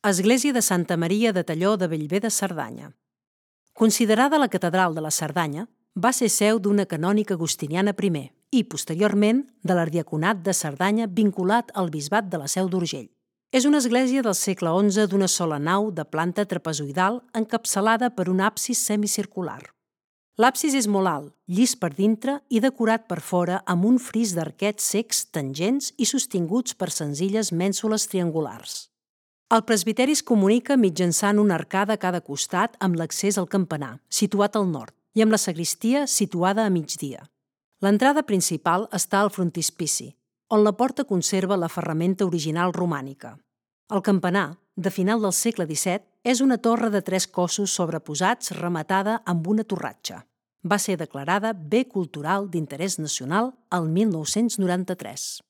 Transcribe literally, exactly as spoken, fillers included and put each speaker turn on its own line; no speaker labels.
Església de Santa Maria de Talló de Bellver de Cerdanya. Considerada la catedral de la Cerdanya, va ser seu d'una canònica agustiniana primer i, posteriorment, de l'ardiaconat de Cerdanya vinculat al bisbat de la Seu d'Urgell. És una església del segle onze d'una sola nau de planta trapezoidal encapçalada per un absis semicircular. L'absis és molt alt, llis per dintre i decorat per fora amb un fris d'arquets cecs tangents i sostinguts per senzilles mènsules triangulars. El presbiteri es comunica mitjançant una arcada a cada costat amb l'accés al campanar, situat al nord, i amb la sagristia situada a migdia. L'entrada principal està al frontispici, on la porta conserva la ferramenta original romànica. El campanar, de final del segle disset, és una torre de tres cossos sobreposats rematada amb una torratxa. Va ser declarada Bé Cultural d'Interès Nacional el mil nou-cents noranta-tres.